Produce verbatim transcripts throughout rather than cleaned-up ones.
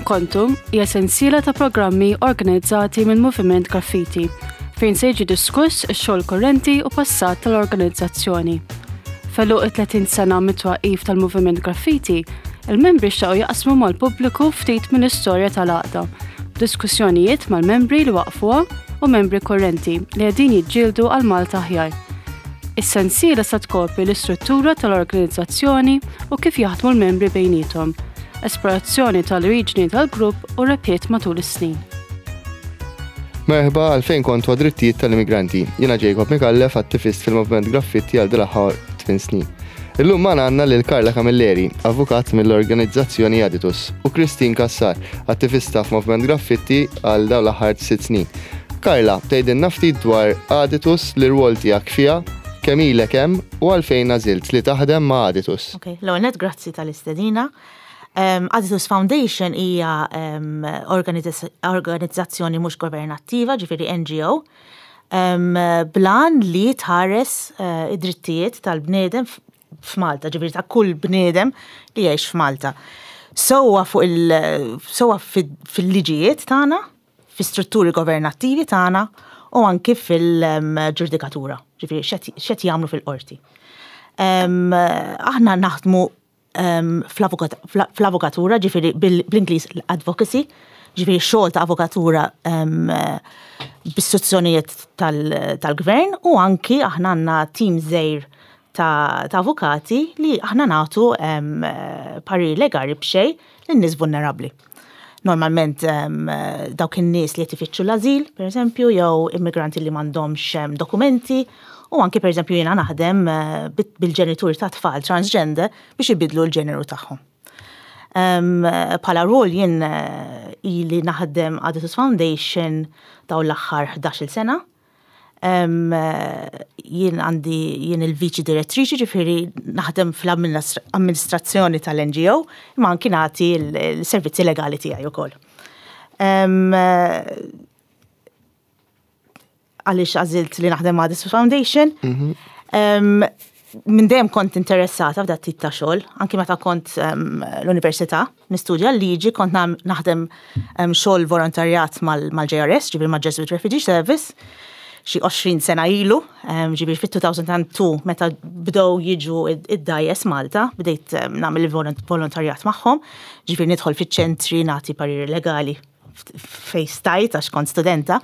Kontu hija sensiela ta' programmi organizzati minn Moviment Graffiti fejn se jiġi diskuss ix-xogħol korrenti u passat tal-organizzazzjoni. F'għeluq it-tletin sena mit-twaqqif tal-Moviment Graffiti, il-membri xtaqu jaqsmu mal-pubbliku ftit mill-istorja tal-għaqda, diskussjonijiet mal-membri li waqfuha u membri korrenti li qegħdin jiġġieldu għal Malta aħjar. Is-sensiela sa tkopri l-istruttura tal-organizzazzjoni u kif jaħdmu l-membri bejniethom, esplorazzjoni tal-oriġini tal-grupp u rebħiet matul is-snin. Merħba għal Fejn Kontu għad-drittijiet tal-immigranti. Jiena Jacob Mikallef, attivist fil-Movement Graffitti għal dal-aħħar tmien snin. Illum magħna għandna lil Karla Camilleri, avukat mill-organizzazzjoni Aditus, u Christine Cassar, attivista f'Movement Graffitti għal dawn l-aħħar sitt snin. Karla, tgħidilna ftit dwar Aditus, l-irwol tiegħek fiha, kemm ilek hemm u għalfejn għażilt li taħdem ma' Aditus? Ok, l-ewwel net grazzi tal-istedina. Um, Aditus Foundation hija um, organizz organizzazzjoni mhux governattiva, ġifieri N G O, um, bl-għan li tħares uh, id-drittijiet tal-bniedem f'Malta, ġifieri ta' kull bniedem li jgħix f'Malta. Sewwa fuq il sewwa fil-liġijiet tagħna, fi strutturi governattivi tagħna u anki fil-ġudikatura, ġifieri x'qed jagħmlu fil-qorti. Um, aħna naħdmu um, fl-avukatura, ġifieri bl-Ingliż advocacy, ġifieri xogħol ta' avukatura um, b'istruzzjonijiet tal-gvern u anki aħna għandna tim żgħir ta', ta avukati li aħna nagħtu um, parir legali b'xejn lin-nies vulnerabbli. Normalment um, dawk in-nies li qed ifittxu l-azil, per eżempju, jew immigranti li m'għandhomx dokumenti, u anki, per eżempju, jiena naħdem uh, bil-ġenituri ta' tfal transgender biex ibidlu l-ġeneru tagħhom. Um, bħala rol jien uh, ili naħdem Aditus Foundation dawn l-aħħar ħdax-il sena. Um, jien għandi jien il-viċi direttriċi, ġifieri naħdem fl-amministrazzjoni tal-N G O, imma anki nagħti l-servizzi legali tiegħi wkoll. Um, għaliex għażilt li naħdem ma' Aditus Foundation? Um, minn dejjem kont interessata f'dat tip ta' xogħol, anki meta kont um, l-università nistudja l-liġi, kont naħdem um, xogħol volontarjat mal-J R S, ġifieri ma' Jesuit Refugee Service, xi għoxrin sena ilu, um, ġifieri fit-elfejn u tnejn meta bdew jiġu id-dgħajjes Malta, bdejt um, nagħmel il-volontarjat magħhom, ġifieri nidħol fiċ-ċentri nagħti pariri legali fej stajt għax kont studenta,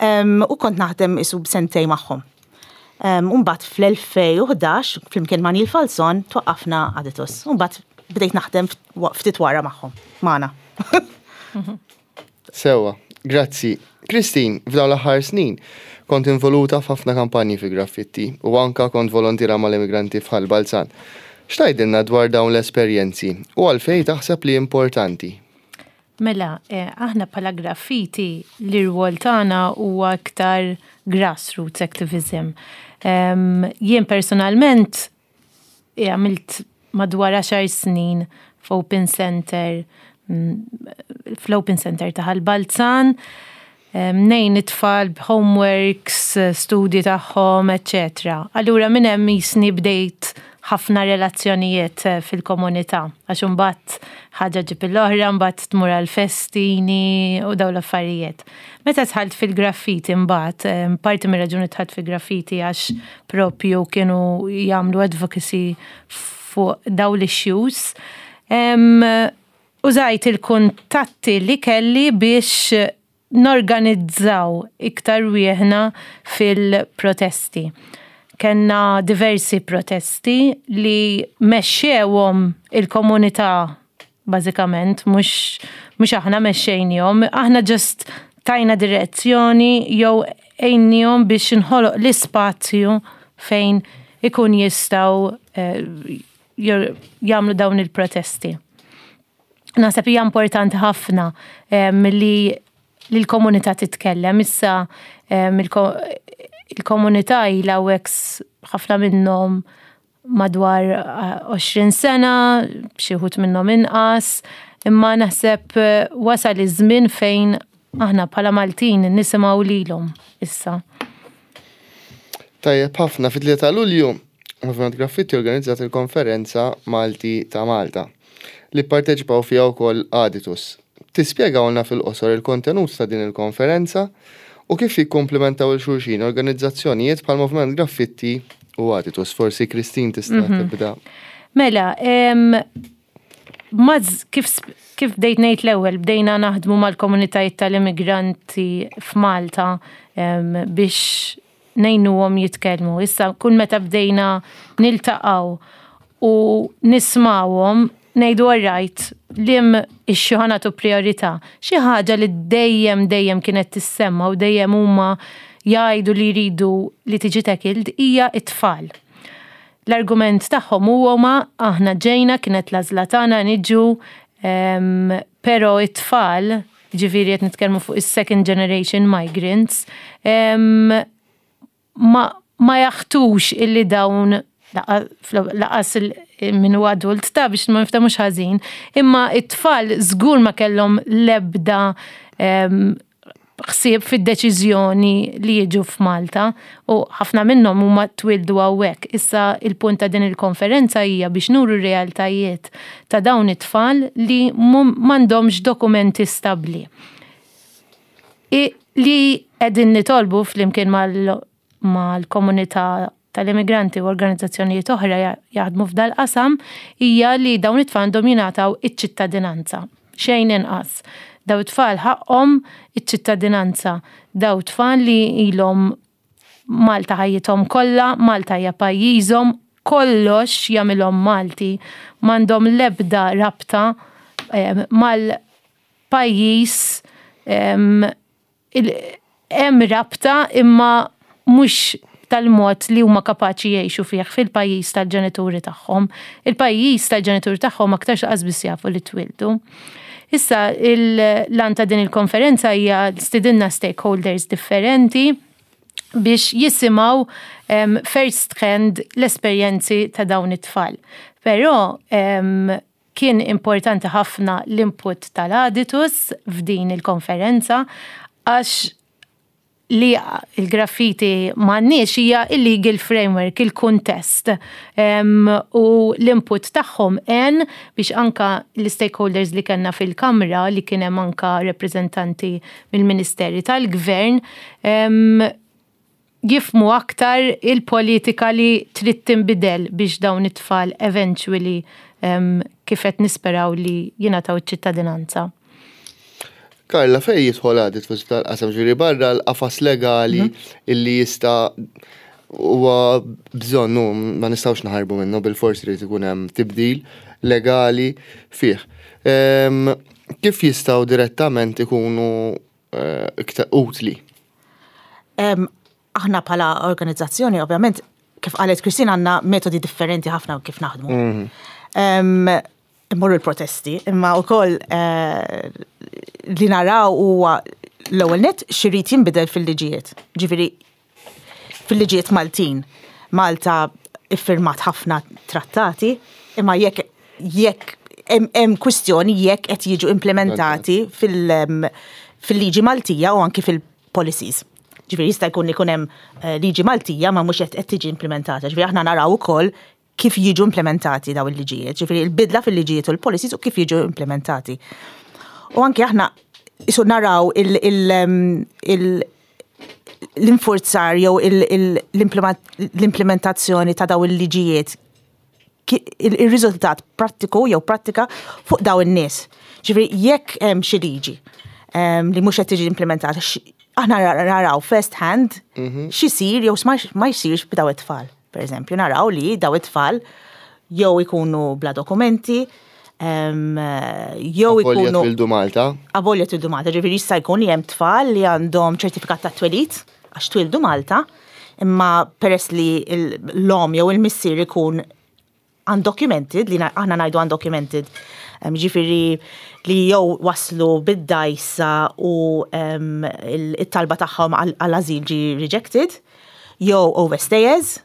um, u kont naħdem isu b'sentejn magħhom. Um, Umbagħad fl-elfejn u ħdax, flimkien ma' Neil Falzon, twaqqafna Aditus. Umbagħad bdejt naħdem ftit wara magħhom, magħna. Sewwa, grazzi. Christine, f'dawn l-aħħar snin, kont involuta f'ħafna kampanji fi Graffitti u anka kont volontira mal-immigranti f'Ħal Balzan. X'tgħidilna dwar dawn l-esperjenzi u għalfejn taħseb li importanti? Mela, eh, aħna bħala Graffiti l-irwol tagħna huwa aktar grassroots activism. Um, jien personalment eh, għamilt madwar għaxar snin f'Open Center, mm, fl-Open Center ta' Ħal Balzan, ngħin it-tfal b'homeworks, studji tagħhom, eċċetera. Allura minn hemm jisni bdejt ħafna relazzjonijiet eh, fil-komunità, għax imbagħad ħaġa ġib l-oħra, mbagħad tmur għal-festini u daw l-affarijiet. Meta dħalt fil-Graffiti mbagħad, parti mir raġuni dħalt fil-Graffiti għax propju kienu jagħmlu advocacy fuq daw l-issues. Użajt il-kuntatti li kelli biex norganizzaw iktar wieħna fil-protesti. Kenna diversi protesti li mexxewhom il-komunità bażikament, mhux mhux aħna mexxejnihom, aħna just tajna direzzjoni jew għinnihom biex inħoloq l-ispazju fejn ikun jistgħu eh, jagħmlu dawn il-protesti. Naħseb hija importanti ħafna eh, li li l-komunità titkellem. Issa il-komunità ilha ħafna minnhom madwar għoxrin sena, xi wħud minnhom inqas, imma naħseb eh, wasal iż-żmien fejn aħna bħala Maltin nisimgħu lilhom issa. Tajjeb ħafna. Fit-tlieta ta' Lulju, Movement Graffitti organizzat il-konferenza Malti ta' Malta li parteċipaw fiha wkoll Aditus. Tispjegawlna fil-qosor il-kontenut ta' din il-konferenza u kif jikkomplementaw lil xulxin organizzazzjonijiet bħal Moviment Graffitti u Aditus. Forsi Christine tista' mhm. tibda. Mela, maz, kif, kif bdejt ngħid l-ewwel, bdejna naħdmu mal-komunitajiet tal-immigranti f'Malta biex ngħinuhom jitkellmu. Issa kull meta bdejna niltaqgħu u nismawhom ngħidu, "Alright, liema issue ħa nagħtu priorità?" Xi ħaġa li dejjem dejjem kienet tissemma u dejjem huma jgħidu li jridu li tiġi tackled hija it-tfal. L-argument tagħhom huwa, "Aħna ġejna, kienet l-għażla tagħna niġu, però it-tfal", ġifieri qed nitkellmu fuq is-second generation migrants, ma, ma jaħtux illi dawn lanqas min hu adult ta' biex ma niftemux ħażin, imma it-tfal żgur ma kellhom lebda ħsieb fid-deċiżjoni li jiġu f'Malta u ħafna minnhom huma twildu hawnhekk. Issa il-punt ta' din il-konferenza hija biex nuru realtajiet ta' dawn it-tfal li m'għandhomx dokumenti stabbli. Li qegħdin nitolbu flimkien mal-komunità tal-immigranti u organizzazzjonijiet oħra jaħdmu f'dal-qasam hija li dawn it-tfal għandhom jingħataw iċ-ċittadinanza. Xejn inqas. Daw tfal ħaqhom iċ-ċittadinanza. Daw tfal li ilhom Malta ħajjithom kollha, Malta hija pajjiżhom, kollox jagħmilhom Malti, m'għandhom l-ebda rabta eh, mal-pajjiż. Hemm rabta imma mhux tal-mod li huma kapaċi jgħixu fih fil-pajjiż tal-ġenituri tagħhom. Il-pajjiż tal-ġenituri tagħhom aktarx lanqas biss jafu li twildu. Issa l-għan ta' din il-konferenza hija stidinna stakeholders differenti biex jisimgħu um, first hand l-esperjenzi ta' dawn it-tfal. Però um, kien importanti ħafna l-input tal-Aditus f'din il-konferenza għax li il-graffiti m'għandniex hija il-legal framework, il-kuntest. Um, u l-input tagħhom en biex anka l-stakeholders li kellna fil-kamra, li kien hemm anka rappreżentanti mill-Ministeri tal-Gvern, um, jifhmu aktar il-politika li trid tinbidel biex dawn it-tfal eventually um, kif qed nisperaw li jingħataw iċ-ċittadinanza. Karla, fej jidħol Aditus tal-qasam, ġifieri barra l-qafas legali mhm. illi jista' huwa bżonn, ma nistgħux naħarbu minnu, bil-forsi li ikun hemm tibdil legali fih. Kif jistgħu direttament ikunu eh, iktar utli? Aħna bħala organizzazzjoni, ovvjament, kif qalet Kristina, għandna metodi differenti ħafna kif naħdmu. Mhm. Immorru l-protesti, imma wkoll eh, li naraw huwa l-ewwel net x'irid jinbidel fil-liġijiet. Ġifieri fil-liġijiet Maltin. Malta iffirmat ħafna trattati, imma jekk jekk hemm kwistjoni jekk qed jiġu implementati fil-liġi Maltija u anki fil-policies. Ġifieri jista' jkun ikun hemm eh, liġi Maltija ma mhux qed tiġi implementata. Ġifieri aħna naraw ukoll kif jiġu implementati daw il-liġijiet, ġifieri il-bidla fil-liġijiet u l-policies u kif jiġu implementati. U anki aħna isu naraw l-infurzar jew l-implementazzjoni ta' daw il-liġijiet, il-riżultat prattiku jew prattika fuq daw in-nies. Ġifieri jekk hemm xi liġi li mhux qed tiġi implementata, aħna naraw first hand mhm. x'isir jew ma jsirx b'daw it-tfal. Per eżempju, naraw li daw it-tfal jew ikunu bla dokumenti, jew ikunu. Twildu Malta. Avolja twildu Malta, ġifieri jista' jkun hemm tfal li għandhom ċertifikat ta' twelid għax twildu Malta, imma peress li l-omm jew il-missier ikun undocumented, li aħna ngħidu undocumented, ġifieri li jew waslu bid-dajsa u it-talba tagħhom għall-azil ġi rejected, jew overstayers,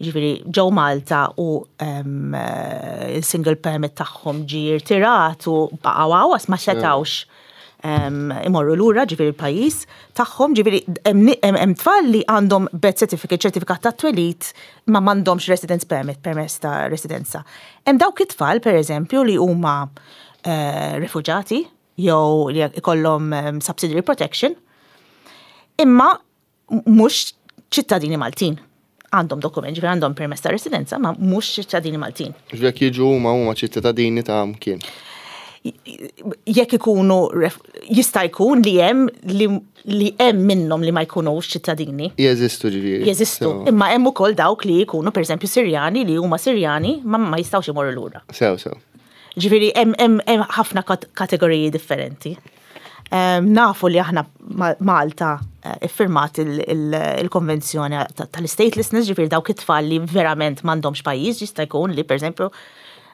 ġifieri ġew Malta u il-single permit tagħhom ġi irtirat u baqgħu għawas ma setawx imorru lura ġifieri l-pajjiż tagħhom, ġifieri hemm tfal li għandhom birth certificate, ċertifikat ta' twelid, ma m'għandhomx residence permit, permess ta' residenza. Hemm dawk it-tfal, pereżempju, li huma eh, rifuġati. jew li ikollhom em, subsidiary protection, imma mhux ċittadini Maltin. Għandhom dokument, ġifieri għandhom permess ta' residenza, ma mhux ċittadini Maltin. Jekk jiġu huma huma ċittadini ta' mkien. Jekk ikunu ref- jista' jkun li hemm li, li hemm minnhom li ma jkunux ċittadini. Jeżistu, ġifieri. Jeżistu. Sew. Imma hemm ukoll dawk li jkunu, pereżempju, Sirjani li huma Sirjani ma ma jistgħux imorru lura. Sew, sew. Ġifieri hemm hemm hemm ħafna kat- kategoriji differenti. Em, nafu li aħna Ma- Malta eh, iffirmat il- il- il-konvenzjoni ta- tal-statelessness, ġifieri dawk it-tfal li verament m'għandhomx pajjiż, jista' jkun li, pereżempju,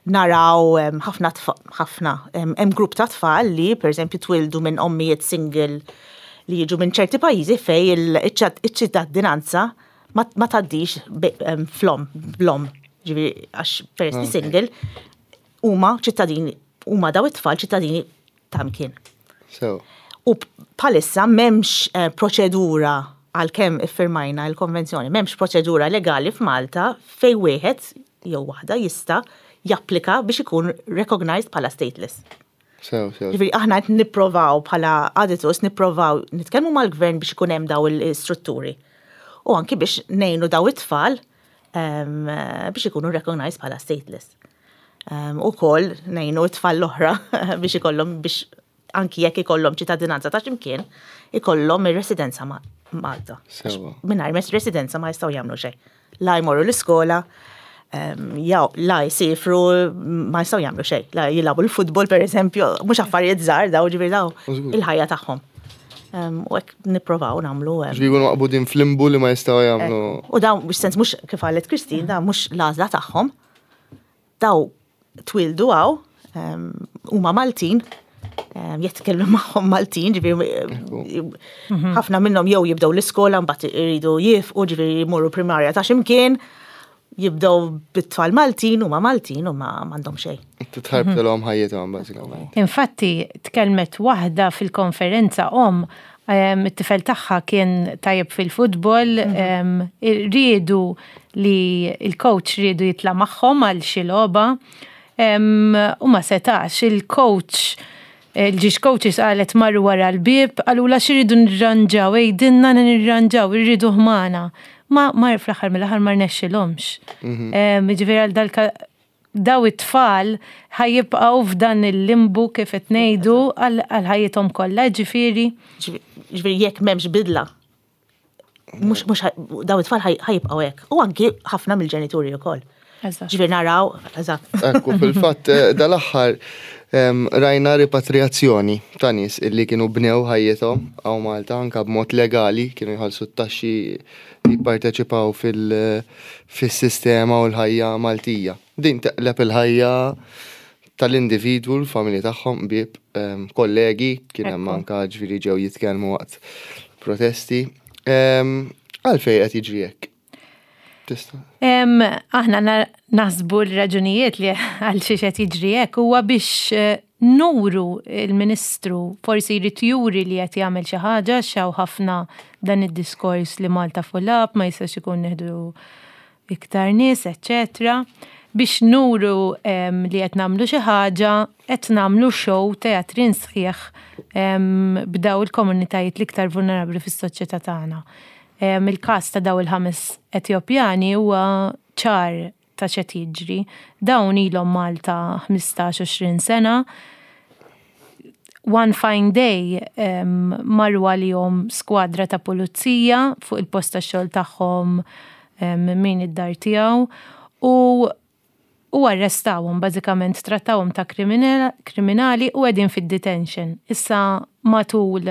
naraw em, ħafna tfa- ħafna em, hemm grupp ta' tfal li, pereżempju, twildu minn ommijiet single li jiġu minn ċerti pajjiżi fej il- iċ-ċittadinanza ma ma tgħaddix be- em, flom, blom, ġifieri għax peress li single huma ċittadini, huma daw it-tfal ċittadini ta' mkien. Sew. U bħalissa m'hemmx eh, proċedura, għalkemm iffirmajna il-konvenzjoni, m'hemmx proċedura legali f'Malta fej wieħed jew waħda jista' japplika biex ikun recognized bħala stateless. Sew, sew. Ġifieri aħna qed nipprovaw bħala Aditus, nipprovaw nitkellmu mal-gvern biex ikun hemm daw il-strutturi. U anki biex ngħinu daw it-tfal em, biex ikunu recognized bħala stateless. Um, u koll ngħinu it-tfal l-oħra biex ikollhom, biex anki jekk ikollhom ċittadinanza ta' x'imkien, ikollhom ir-residenza ma' Malta. Sewa. Mingħajr residenza ma jistgħu jagħmlu xejn. La jmorru l-iskola, em, jew la jsifru, ma jistgħu jagħmlu xejn. La jilagħbu l-futbol, per eżempju, mhux affarijiet żgħar daw, ġifieri daw Żgur. il-ħajja tagħhom. Em, U hekk nipprovaw nagħmlu. em, Ġifieri jkunu maqbudin f'limbu li ma jistgħu jagħmlu. U dawn, biex sens mhux, kif qalet Christine, dawn mhux l-għażla tagħhom. Daw twildu hawn, em, huma Maltin, em, jitkellmu magħhom Maltin, ġifieri ħafna minnhom jew jibdew l-iskola, mbagħad iridu jifqu, ġifieri jmorru primarja ta' x'imkien, jibdew bit-tfal Maltin, huma Maltin u ma m'għandhom xejn. Titħarbtilhom ħajjithom bażikament. Infatti, tkellmet waħda fil-konferenza, om, em, it-tifel tagħha kien tajjeb fil-futbol, em, riedu li il-coach riedu jitla' magħhom għal xi logħba, em, u ma setax. Il-coach, il-żewġ coaches qalet marru wara l-bib, qalulha x'iridu nirranġaw, għidilna nirranġaw, irridu ħmana. Ma mar fl-aħħar mill-aħħar ma rnexxilhomx. Em, Ġifieri għal dal daw it-tfal ħa jibqgħu f'dan il-limbu, kif qed ngħidu, għal għal ħajjithom kollha, ġifieri. Ġifieri jekk m'hemmx bidla, mhux mhux ħaj- daw it-tfal ħaj- ħa jibqgħu hekk. U anki ħafna mill-ġenituri wkoll. Eżatt. Ġifieri naraw, eżatt. Ekku, fil-fatt, eh, dal-aħħar em, rajna ripatriazzjoni ta' nies illi kienu bnew ħajjithom hawn Malta anka b'mod legali, kienu jħallsu t-taxxi, jipparteċipaw fil- fis-sistema u l-ħajja Maltija. Din teqleb il-ħajja tal-individwu, l-familji tagħhom, bib, em, kollegi, kien hemm Ekku. anka, ġifieri, ġew jitkellmu waqt protesti. Em, Għalfejn qed jiġri hekk? Tista' Em, aħna na- naħsbu l-raġunijiet li għal xiex qed jiġri hekk huwa biex eh, nuru, il-Ministru forsi jrid juri li qed jagħmel xi ħaġa, xaw ħafna dan id-diskors li Malta full up, ma jistax ikun neħdu iktar nies, eċċetera. Biex nuru em, li qed nagħmlu xi ħaġa, qed nagħmlu show teatrin sħiħ em, b'daw il-komunitajiet l-iktar vulnerabbli fis-soċjetà tagħna. Em, Il-każ ta' daw il-ħames Etjopjani huwa ċar ta' x'qed jiġri. Dawn ilhom Malta ħmistax għoxrin sena. One fine day um, marru għalihom skwadra ta' pulizija fuq il-post ta' xogħol tagħhom, um, min id-dar tiegħu u u arrestawhom, bażikament trattawhom ta' kriminali kriminali u qegħdin fid-detention. Issa matul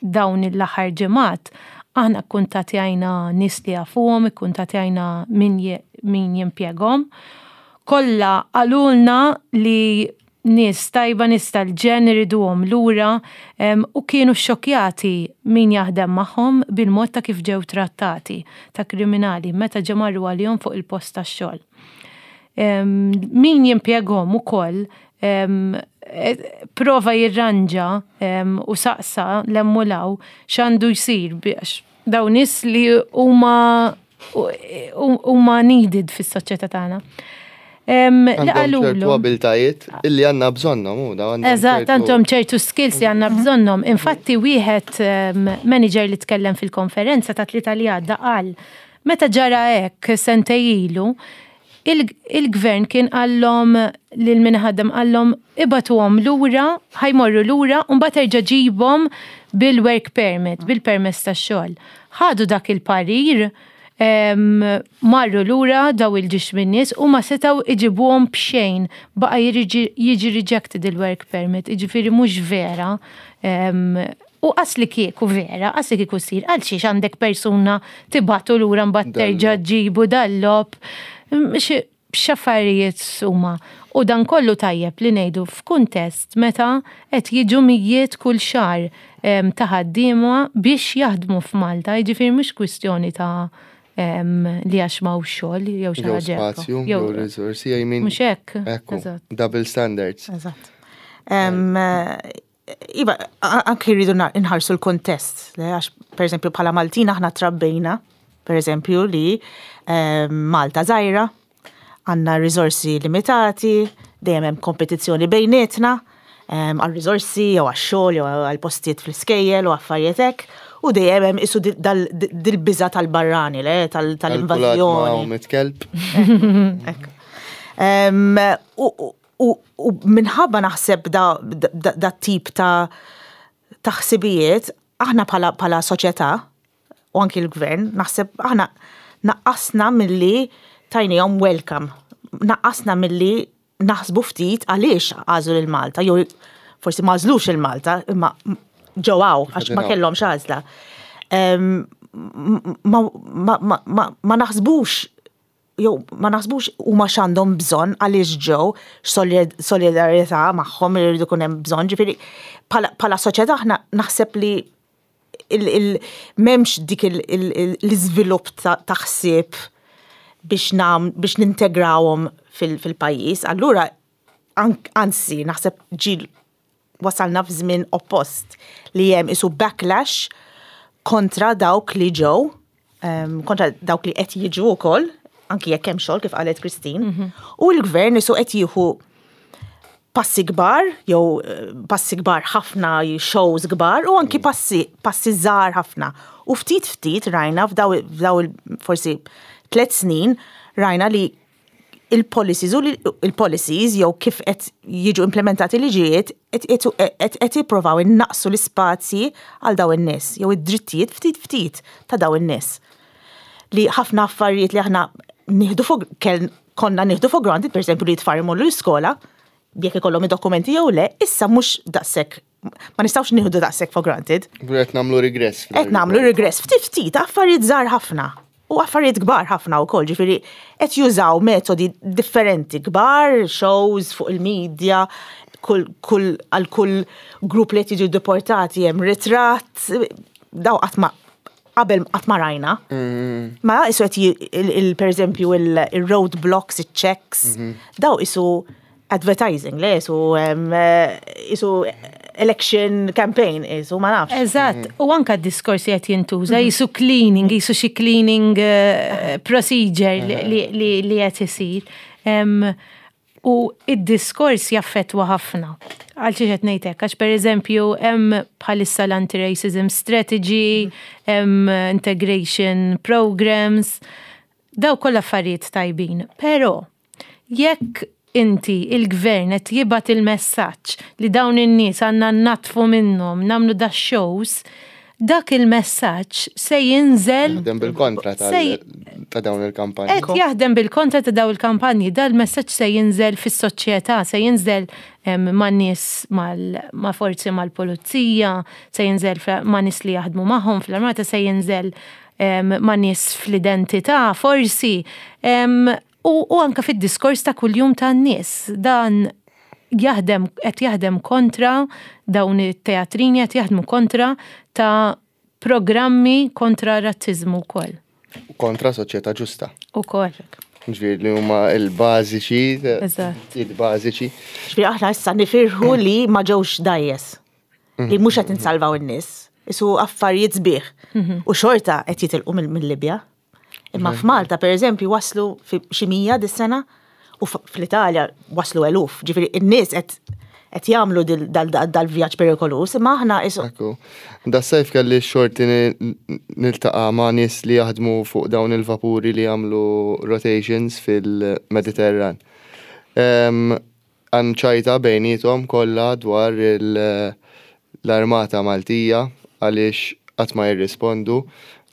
dawn l-aħħar ġimgħat aħna kkuntattjajna nies li jafuhom, ikkuntattjajna min, je, min jimpjegahom. Kollha qalulna li nies tajba, nies tal-ġen, iriduhom lura em, u kienu xokjati min jaħdem magħhom bil-mod ta' kif ġew trattati ta' kriminali meta ġew marru għalihom fuq il-post tax-xogħol. Em, min jimpjegahom ukoll em, eh, prova jirranġa em, u saqsa l-emmulaw x'għandu jsir biex dawn nies li huma huma needed fis-soċjetà tagħna. Em, Li Għandhom ċertu qalulhom. abiltajiet illi għandna bżonnhom u da għandhom Eżatt, ċertu- għandhom ċertu skills li għandna bżonnhom. Infatti, wieħed um, manager li tkellem fil-konferenza ta' tlieta li għadda qal, meta ġara hekk sentejn ilu, il- il-gvern kien qallhom lil min ħaddem qallhom ibagħtuhom lura, ħa jmorru lura, u mbagħad erġa' ġibhom bil-work permit, bil-permess tax-xogħol. Ħadu dak il-parir, em, marru lura daw il-ġiex min-nies u ma setaw iġibuhom b'xejn, baqa jiġi jiġi rejected il-work permit, jiġifieri mhux vera. Em, U qas li kieku vera, qas li kieku sir, għal xiex għandek persuna tibagħtu lura mbagħad terġa' ġibu dal-lop. X'affarijiet huma. U dan kollu tajjeb li ngħidu f'kuntest meta qed jiġu mijiet kull xahar em, ta' ħaddiema biex jaħdmu f'Malta, jiġifieri mhux kwistjoni ta' em, li għax m'hawnx xogħol jew xi Jew ħaġa hekk. spazju, jew risorsi, I mean. Mhux hekk. Ekku, Eżatt. double standards. Eżatt. Em, eh, Iva, a- anki rridu na- nħarsu l-kontest, le, għax per eżempju bħala Maltin aħna trabbejna, per eżempju li em, Malta żgħira, għandna risorsi limitati, dejjem hemm kompetizzjoni bejnietna, em, għal risorsi jew għax xogħol jew għal postijiet fl-iskejjel u affarijiet hekk, u dejjem hemm isu dil- dal- dil-biża tal-barrani, le, tal- tal-invażjoni. Mit-kelb. Ekk. Em, U u- u minħabba naħseb da, da, da tip ta' ta' ħsibijiet, aħna bħala, bħala soċjetà u anki l-gvern, naħseb aħna naqqasna milli tajnihom welcome. Naqqasna milli naħsbu ftit għaliex għażlu lil Malta, jew forsi ma għażlux lil Malta, imma ġew hawn għax ma Qegħdin kellhomx għażla. Em, Ma, ma, ma, ma, ma naħsbux jew ma naħsbux huma x'għandhom bżonn għaliex ġew solidarjetà magħhom irridu jkun hemm bżonn, ġifieri bħala bħala soċjetà aħna naħseb li il, il, m'hemmx dik il- il- il- l-iżvilupp ta' ta' ħsieb biex nam biex nintegrawhom fil- fil-pajjiż. Allura an- anzi naħseb ġil wasalna f'żmien oppost li hemm isu backlash kontra dawk li ġew, em, kontra dawk li qed jiġu wkoll, anki jekk hemm xogħol kif qalet Christine, u l-gvern isu qed jieħu passi kbar, jew eh, passi kbar ħafna, shows kbar, u anki passi, passi żgħar ħafna. U ftit ftit rajna f'daw f'daw il- forsi tliet snin rajna li il-policies u li- il-policies jew kif qed jiġu implementati liġijiet qed qed qed jippruvaw innaqsu l-ispazji għal daw in-nies jew id-drittijiet ftit ftit ta' daw in-nies. Li ħafna affarijiet li aħna nieħdu for kell konna nieħdu for granted, per eżempju li t-tfal imorru l-iskola, jekk ikollhom id-dokumenti jew le, issa mhux daqshekk ma nistgħux nieħdu daqshekk for granted. Qed nagħmlu regress. Qed nagħmlu regress ftit ftit affarijiet żgħar ħafna. U affarijiet kbar ħafna wkoll, ġifieri qed jużaw metodi differenti kbar, shows fuq il-medja, kull kull għal kull grupp li qed jiġu deportati hemm ritratt, daw qatt ma qabel qatt ma rajna. Ma isu qed ji- il, il, per eżempju il-road blocks, il-checks, daw isu advertising, le, isu, um, eh, isu election campaign, isu ma nafx. Eżatt, u anka d-diskorsi qed jintuża, jisu cleaning, jisu xi cleaning eh, procedure li- li li- li qed isir. Em, U id-diskors jaffetwa ħafna. Għal xiex qed ngħid hekk, għax pereżempju hemm bħalissa l-anti-racism strategy, hemm integration programs, daw kollha affarijiet tajbin. Però jekk inti il-gvern qed jibgħat il-messaġġ li dawn in-nies għandna natfu minnhom, nagħmlu da shows, dak il-messaġġ se jinżel Jaħdem bil-kontra tal- Se- ta' dawn il-kampanji. Qed jaħdem bil-kontra ta' daw il-kampanji, dal-messaġġ se jinżel fis-soċjetà, se jinżel em, ma' nies mal- ma' forzi mal-pulizija, se jinżel fra- ma' nies li jaħdmu magħhom fl-armata, se jinżel em, ma' nies fl-identità, forsi. Em, U, u anka fid-diskors ta' kuljum tan-nies. Dan jaħdem qed jaħdem kontra dawn it-teatrini qed jaħdmu kontra ta' programmi kontra razzizmu wkoll. Kontra soċjetà ġusta. Ukoll. Ġifieri li huma il-bażiċi, Eżatt. il-bażiċi. Ġifieri aħna issa nifirħu li ma ġewx dgħajjes. Li mhux qed insalvaw in-nies. Isu affarijiet sbieħ. U xorta qed jitilqu mill- mill-Libja. Imma f'Malta, per eżempju, waslu fi xi mija dis-sena U fl-Italja waslu eluf, ġifieri in-nies qed qed jagħmlu dal-vjaġġ perikolus, imma aħna isu. Ekku. Das-sajf kelli xorti niltaqa' ma' nies li jaħdmu fuq dawn il-vapuri li jagħmlu rotations fil-Mediterran. Għan ċajta bejniethom kollha dwar l-armata Maltija għaliex qatt ma jirrispondu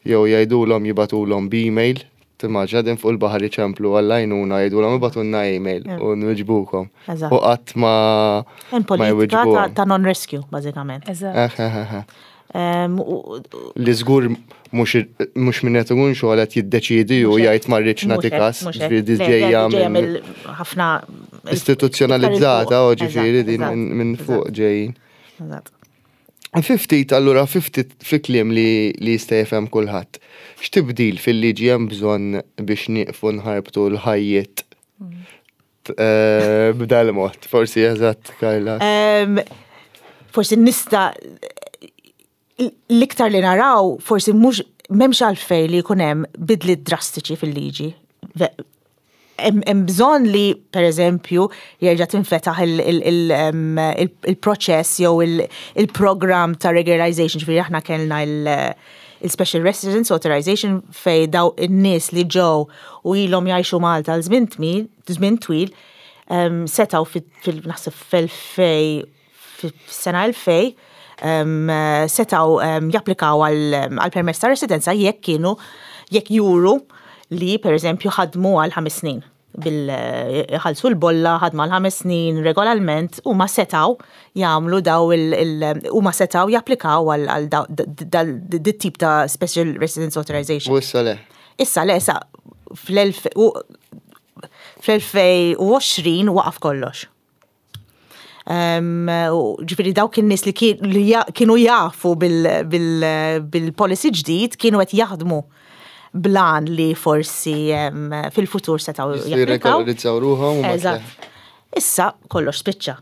jew jgħidulhom jibagħtulhom b'email. Timmaġina din fuq il-baħar iċemplu għall-għajnuna jgħidulhom ibagħtulna email u nwiġbukom. U qatt ma Hemm politika ta' non-rescue, bażikament. Eżatt. Li żgur mhux minn qed ikun xogħol qed jiddeċiedi u jgħid ma rridx nagħti każ, ġifieri ġejja minn ħafna istituzzjonalizzata u ġifieri din minn fuq ġejjin. Eżatt. Fiftit, allura, fiftit fi kliem li li jista' jifhem kulħadd. X'tibdil fil-liġi hemm bżonn biex nieqfu nħarbtu l-ħajjiet eh, b'dal-mod? Forsi eżatt, Karla. Forsi nista' l-iktar li naraw, forsi mhux m'hemmx għalfejn li jkun hemm bidliet drastiċi fil-liġi. Hemm bżonn li, per eżempju, jerġa' tinfetaħ il-proċess jew il-program ta' regularization, ġifieri aħna kellna il-Special Residence Authorization fej daw in-nies li ġew u ilhom jgħixu Malta għal żmien twil setgħu fil-naħseb fil-elfej fis-sena elfej setgħu japplikaw għal permess ta' residenza jekk kienu jekk juru li per eżempju ħadmu għal ħames snin bil-ħalsu l-bolla, ħadmu għal ħames snin regolarment u ma setgħu jagħmlu daw il- u ma setgħu japplikaw għal dit tip ta' Special Residence Authorization. U issa le? Issa le, issa fl-elfejn u għoxrin waqaf kollox. Ġifieri dawk in-nies li kienu jafu bil-policy ġdid kienu qed jaħdmu blan li forsi fil-futur setgħu japplikaw. Jirregolarizzaw ruħhom. Eżatt. Issa kollox spiċċa.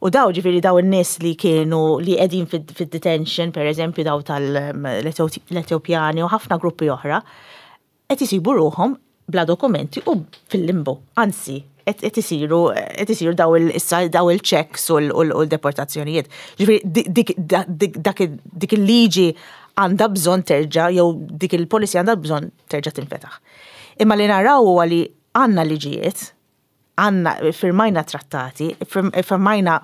U daw ġifieri daw in-nies li kienu li qegħdin fid-detention, per eżempju daw tal-Etjopjani u ħafna gruppi oħra, qed isibu ruħhom bla dokumenti u fil-limbo. Anzi, qed isiru qed isiru daw il-issa daw il-checks u l-deportazzjonijiet. Ġifieri dik il-liġi għandha bżonn terġa' jew dik il-policy għandha bżonn terġa' tinfetaħ. Imma li naraw huwa li għandna liġijiet, għandna firmajna trattati, firmajna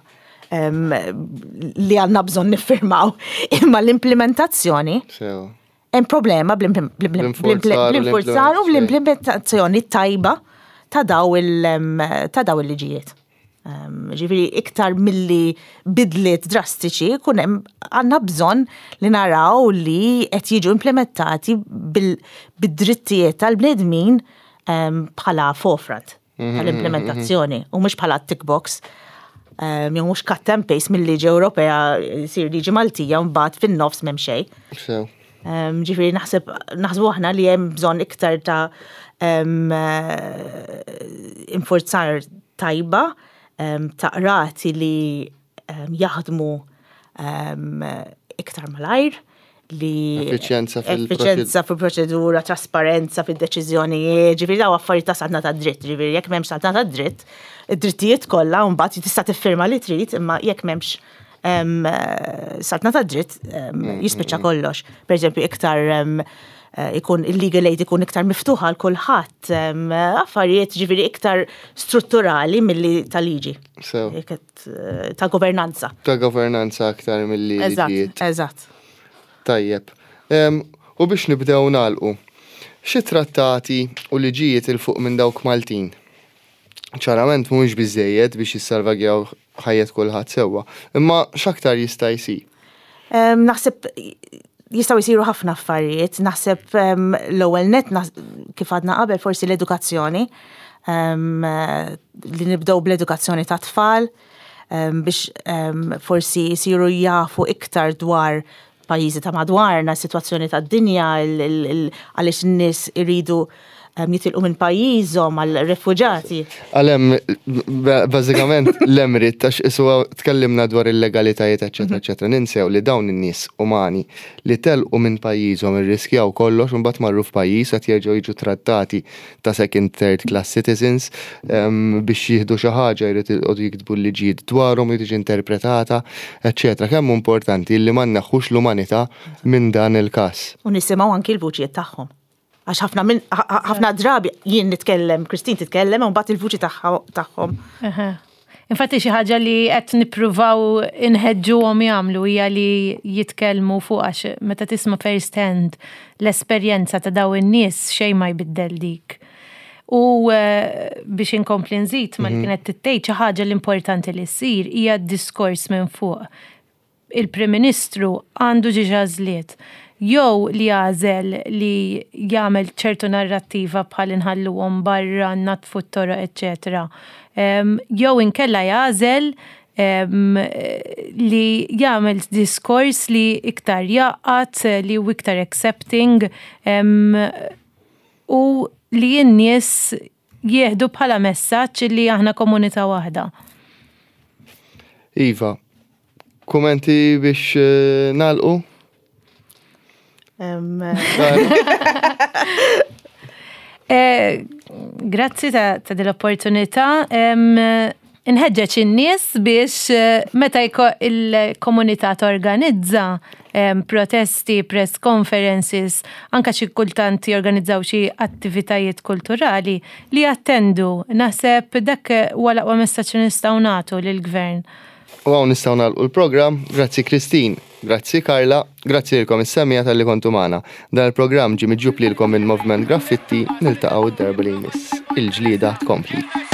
li għandna bżonn niffirmaw, imma l-implementazzjoni hemm problema bl-infurzar u bl-implementazzjoni tajba ta' daw il-liġijiet. Ġifieri iktar milli bidliet drastiċi kun hemm għandna bżonn li naraw li qed jiġu implementati bid-drittijiet tal-bnedmin bħala forefront tal-implementazzjoni u mhux bħala tick box. Jew mhux cut and paste mill-liġi Ewropea sir liġi Maltija u mbagħad fin-nofs m'hemm xejn. Ġifieri naħseb naħsbu aħna li hemm bżonn iktar ta' infurzar tajba ta' qrati li jaħdmu iktar malajr, li Effiċjenza fil- effiċjenza fil-proċedura, trasparenza fil-deċiżjonijiet, ġifieri daw affarijiet ta' saltna ta' dritt, ġifieri jekk m'hemmx saltna ta' dritt, id-drittijiet kollha mbagħad tista' tiffirma li trid, imma jekk m'hemmx saltna ta' dritt jispiċċa kollox. Per eżempju, iktar ikun il-legal aid ikun iktar miftuħa għal kulħadd, affarijiet ġifieri iktar strutturali milli ta' liġi. Sew. Ta' governanza. Ta' governanza aktar milli Eżatt, liġijiet. eżatt. Tajjeb. U biex nibdew nagħlqu, xi trattati u liġijiet il fuq minn dawk Maltin? Ċarament mhux biżejjed biex jissalvagjaw ħajjet kulħadd sewwa, imma x'aktar jista' jsir? Naħseb jistgħu jsiru ħafna affarijiet, naħseb l-ewwel net kif għadna qabel forsi l-edukazzjoni, li nibdew bl-edukazzjoni ta' tfal, biex forsi jsiru jafu iktar dwar pajjiżi ta' madwarna, situazzjoni ta' dinja, għaliex n-nies iridu jitilqu minn pajjiżhom għal refuġati. Għalem, bażikament l-emrit, għax isu tkellimna dwar il-legalitajiet, eċetera, eċetera, ninsew li dawn in-nies umani li telqu minn pajjiżhom, irriskjaw kollox, u mbagħad marru f'pajjiż, qed jerġgħu jiġu trattati ta' second, third class citizens, biex jieħdu xi ħaġa jrid jqogħdu jiktbu l-liġijiet dwarhom, jiġi interpretata, eċetera. Kemm importanti li ma nneħħux l-umanità minn dan il-każ. U nisimgħu anki l-vuċijiet tagħhom. Għax ħafna minn ħafna drabi jien nitkellem, Christine titkellem, u mbagħad il-vuċi tagħhom. Infatti xi ħaġa li qed nippruvaw inħeġġuhom jagħmlu hija li jitkellmu fuq, għax meta tisma' first hand l-esperjenza ta' daw in-nies, xejn ma jbiddel dik. U eh, biex inkompli nżid ma li mhm. kienet tittejt, xi ħaġa l-importanti li ssir hija d-diskors minn fuq. Il-Prim Ministru għandu żewġ għażliet: jew li jagħżel li jagħmel ċertu narrattiva bħal inħalluhom barra, natfu t-toroq, eċetera. Jew inkella jagħżel li jagħmel diskors li iktar jgħaqqad, li hu iktar accepting u li n-nies jieħdu bħala messaġġ li aħna komunità waħda. Iva, kummenti biex eh, nagħlqu? Em, Eh, Grazzi ta' ta' dil-opportunità. Inħeġġeġ in-nies biex eh, meta jko- il-komunità torganizza em, protesti, press conferences, anka xi kultant jorganizzaw xi attivitajiet kulturali, li jattendu. Naħseb dak huwa l-aqwa messaġġ li nistgħu nagħtu lill-gvern. U hawn nistgħu nagħlqu l-programm. Grazzi Christine, grazzi Carla, grazzi lilkom is-semmiegħa talli kontu magħna. Dan il-programm ġie miġjub lilkom minn Movement Graffitti, niltaqgħu d-darba li jmiss. Il-ġlieda tkompli.